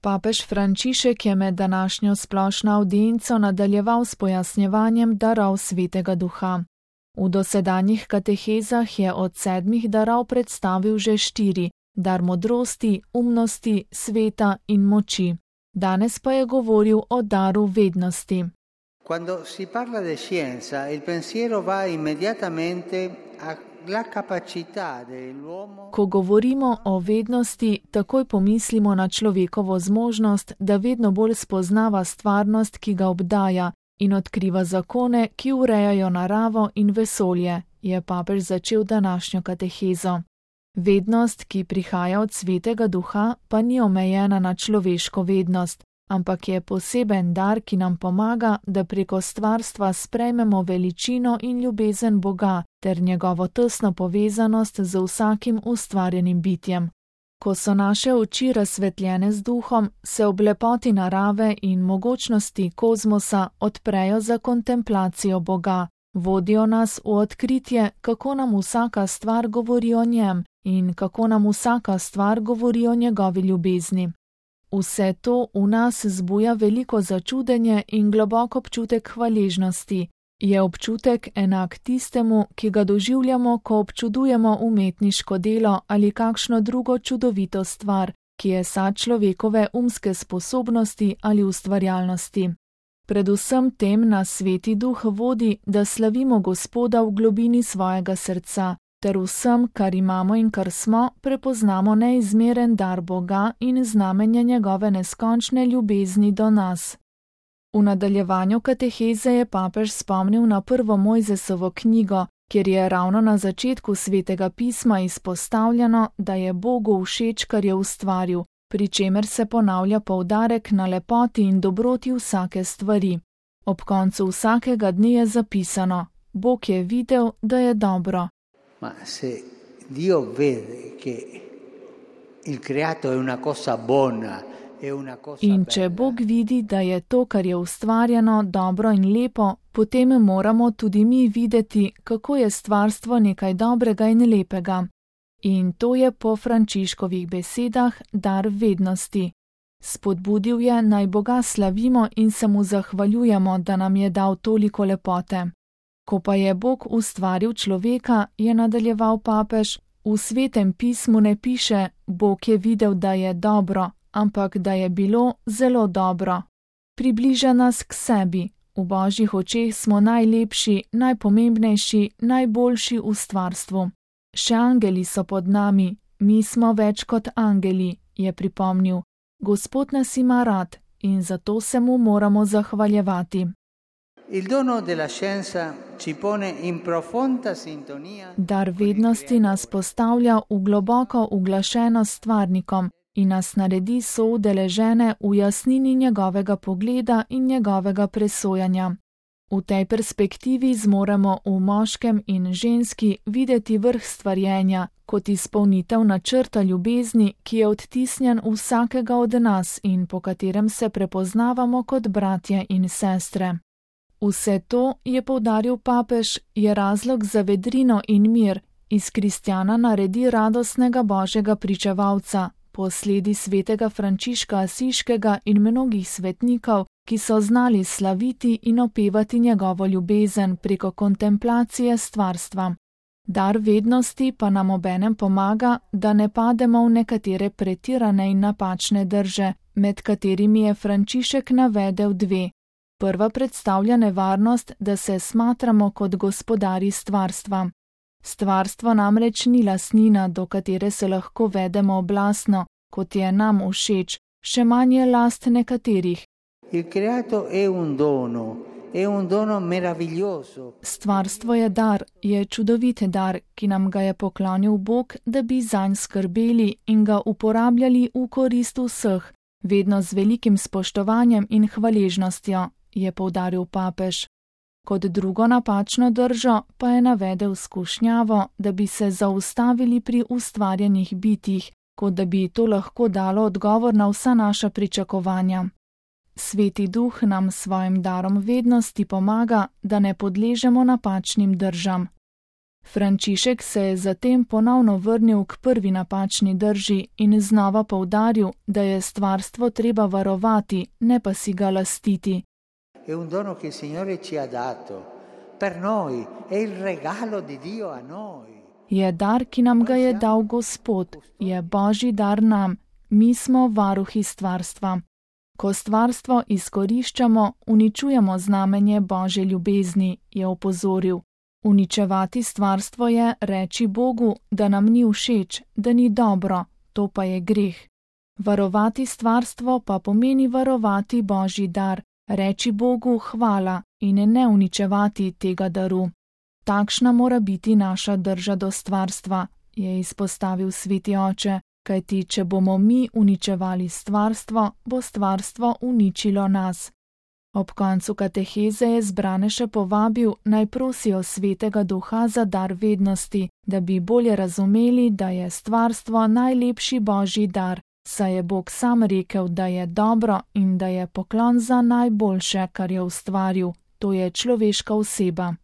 Papež Frančišek je med današnjo splošno avdienco nadaljeval s pojasnjevanjem darov Svetega Duha. V dosedanjih katehezah je od 7 darov predstavil že 4, dar modrosti, umnosti, sveta in moči. Danes pa je govoril o daru vednosti. Quando si parla di scienza, il pensiero va immediatamente alla capacità dell'uomo. Ko govorimo o vednosti, takoj pomislimo na človekovo zmožnost, da vedno bolj spoznava stvarnost, ki ga obdaja, in odkriva zakone, ki urejajo naravo in vesolje, je papež začel današnjo katehezo. Vednost, ki prihaja od Svetega Duha, pa ni omejena na človeško vednost, ampak je poseben dar, ki nam pomaga, da preko stvarstva sprejmemo veličino in ljubezen Boga ter njegovo tesno povezanost z vsakim ustvarjenim bitjem. Ko so naše oči razsvetljene z duhom, se ob lepoti narave in mogočnosti kozmosa odprejo za kontemplacijo Boga, vodijo nas v odkritje, kako nam vsaka stvar govori o njem in kako nam vsaka stvar govori o njegovi ljubezni. Vse to v nas zbuja veliko začudenje in globok občutek hvaležnosti. Je občutek enak tistemu, ki ga doživljamo, ko občudujemo umetniško delo ali kakšno drugo čudovito stvar, ki je sad človekove umske sposobnosti ali ustvarjalnosti. Predvsem tem nas Sveti Duh vodi, da slavimo Gospoda v globini svojega srca, ter vsem, kar imamo in kar smo, prepoznamo neizmeren dar Boga in znamenje njegove neskončne ljubezni do nas. V nadaljevanju kateheze je papež spomnil na prvo Mojzesovo knjigo, kjer je ravno na začetku Svetega pisma izpostavljeno, da je Bogu všeč, kar je ustvaril, pri čemer se ponavlja poudarek na lepoti in dobroti vsake stvari. Ob koncu vsakega dne je zapisano: Bog je videl, da je dobro. Ma se Dio vede che il creato è una cosa buona, è una cosa In če Bog vidi, da je to, kar je ustvarjeno, dobro in lepo, potem moramo tudi mi videti, kako je stvarstvo nekaj dobrega in lepega. In to je po Frančiškovih besedah dar vednosti. Spodbudil je, naj Boga slavimo in se mu zahvaljujemo, da nam je dal toliko lepote. Ko pa je Bog ustvaril človeka, je nadaljeval papež, v Svetem pismu ne piše: Bog je videl, da je dobro, ampak da je bilo zelo dobro. Približa nas k sebi. V Božjih očeh smo najlepši, najpomembnejši, najboljši v stvarstvu. Še angeli so pod nami, mi smo več kot angeli, je pripomnil. Gospod nas ima rad in zato se mu moramo zahvaljevati. Il dono della scienza ci pone in profonda sintonia. Dar vednosti nas postavlja v globoko uglašeno s stvarnikom in nas naredi soudeležene v jasnini njegovega pogleda in njegovega presojanja. V tej perspektivi zmoremo v moškem in ženski videti vrh stvarjenja kot izpolnitev načrta ljubezni, ki je odtisnjen v vsakega od nas in po katerem se prepoznavamo kot bratje in sestre. Vse to, je poudaril papež, je razlog za vedrino in mir, iz kristjana naredi radostnega Božjega pričevalca, posledi svetega Frančiška Asiškega in mnogih svetnikov, ki so znali slaviti in opevati njegovo ljubezen preko kontemplacije stvarstva. Dar vednosti pa nam obenem pomaga, da ne pademo v nekatere pretirane in napačne drže, med katerimi je Frančišek navedel 2. Prva predstavlja nevarnost, da se smatramo kot gospodarji stvarstva. Stvarstvo namreč ni lastnina, do katere se lahko vedemo oblastno, kot je nam všeč, še manj je last nekaterih. Il creato è un dono meraviglioso. Stvarstvo je dar, je čudovit dar, ki nam ga je poklonil Bog, da bi zanj skrbeli in ga uporabljali v korist vseh, vedno z velikim spoštovanjem in hvaležnostjo, je poudaril papež. Kot drugo napačno držo pa je navedel skušnjavo, da bi se zaustavili pri ustvarjenih bitjih, kot da bi to lahko dalo odgovor na vsa naša pričakovanja. Sveti Duh nam s svojim darom vednosti pomaga, da ne podležemo napačnim držam. Frančišek se je zatem ponovno vrnil k prvi napačni drži in znova poudaril, da je stvarstvo treba varovati, ne pa si ga lastiti. È un dono che il Signore ci ha dato per noi, è il regalo di Dio a noi. Je dar, ki nam ga je dal Gospod, je Božji dar nam, mi smo varuhi stvarstva. Ko stvarstvo izkoriščamo, uničujemo znamenje Božje ljubezni, je opozoril. Uničevati stvarstvo je reči Bogu, da nam ni všeč, da ni dobro, to pa je greh. Varovati stvarstvo pa pomeni varovati Božji dar, reči Bogu hvala in ne uničevati tega daru. Takšna mora biti naša drža do stvarstva, je izpostavil sveti oče, kajti če bomo mi uničevali stvarstvo, bo stvarstvo uničilo nas. Ob koncu kateheze je zbrane še povabil, naj prosijo svetega duha za dar vednosti, da bi bolje razumeli, da je stvarstvo najlepši Božji dar, saj je Bog sam rekel, da je dobro in da je poklon za najboljše, kar je ustvaril, to je človeška oseba.